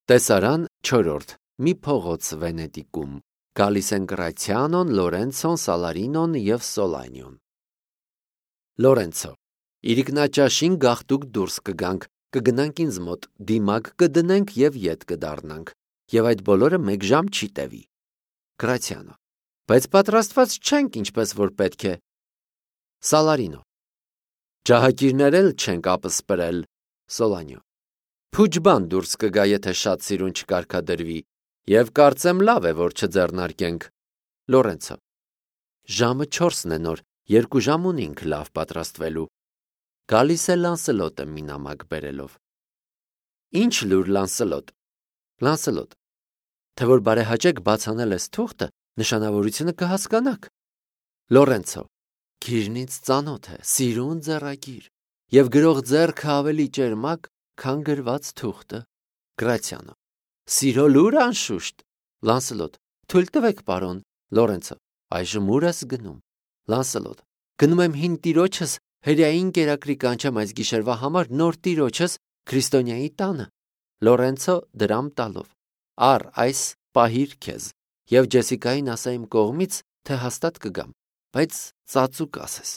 Տեսարան 4. Մի փողոց Վենետիկում։ Գալիս են Գրացիանոն, Լորենցոն, Սալարինոն և Սոլանիոն։ Լորենցո. Իրիկնաճաշին գաղտուկ դուրս կգանք, կգնանք ինձ մոտ, դիմակ կդնենք և ետ կդառնանք, և այդ բոլորը 1 ժամ չի տևի։ Գրացիանո. Բայց պատրաստված չենք, ինչպես որ պետք է։ Սալարինո. Ջահակիրներ էլ չենք ապսպրել։ Սոլանիո. Փուջ բան դուրս կգա, եթե շատ սիրուն չկարգադրվի, և կարծեմ լավ է, որ չձեռնարկենք։ Լորենցո. Ժամը 4-ն է նոր, 2 ժամ ունենք լավ պատրաստվելու։ Գալիս է Լանսելոտը մի նամակ բերելով։ Ինչ լուր, Լանսելոտ։ Լանսելոտ. Թե որ բարեհաճեք բացանել ես թուղթը, նշանավորությունը կհասկանաք։ Լորենցո. Գիրնից ծանոթ է, սիրուն ձեռագիր, և գրող ձեռքը ավելի ճերմակ, քան գրված թուղթը։ Գրացիանո. Սիրո լուր անշուշտ։ Լանսելոտ. Թույլ տվեք, պարոն։ Լորենցո. Այժմ ուր ես գնում։ Լանսելոտ. Գնում եմ հին տիրոջս հրեային կերակրի կանչեմ այս գիշերվա համար նոր տիրոջս Քրիստոնյայի տանը։ Լորենցո դրամ տալով. Առ այս պահիր քեզ, և Ջեսիկային ասա իմ կողմից, թե հաստատ կգամ, բայց ծածուկ ասես։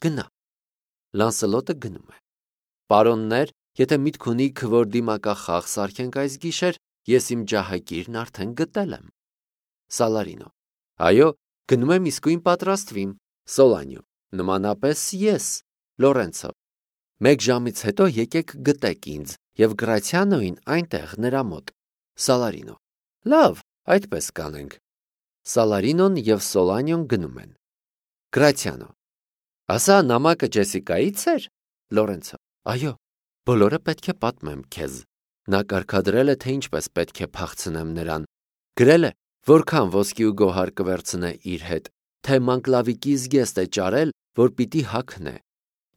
Գնա։ Լանսելոտը գնում է։ Պարոններ, եթե միտք ունիք, որ դիմակախաղ սարքենք այս գիշեր, ես իմ ջահակիրն արդեն գտել եմ։ Սալարինո. Այո, գնում եմ իսկույն պատրաստվիմ։ Սոլանիո. Նմանապես ես։ Լորենցո. 1 ժամից հետո եկեք գտեք ինձ, և Գրացիանոին այնտեղ նրա մոտ։ Սալարինո. Լավ, այդպես կանենք։ Սալարինոն և Սոլանիոն գնում են։ Գրացիանո. Ասա նամակը Ջեսիկայից էր։ Լորենցո. Այո, բոլորը պետք է պատմեմ քեզ։ Նա կարգադրել է, թե ինչպես պետք է փախցնեմ նրան։ Գրել է, որքան ոսկի ու գոհար կվերցնե իր հետ, թե մանկլավիկի զգեստ է ճարել, որ պիտի հագնե։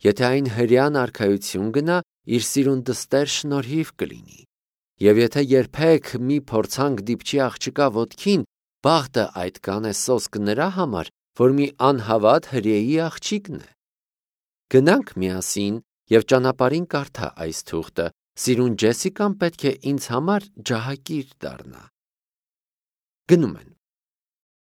Եթե այն հրեան արքայություն գնա, իր սիրուն դստեր շնորհիվ կլինի։ Եվ եթե երբեք մի փորձանք դիպչի աղջկա ոտքին, բախտը այդ կանե սոսկ նրա համար, որ մի անհավատ հրեայի աղջիկն է։ Գնանք միասին և ճանապարհին կարդա այս թուղթը, սիրուն Ջեսիկան պետք է ինձ համար ջահակիր դառնա։ Գնում են։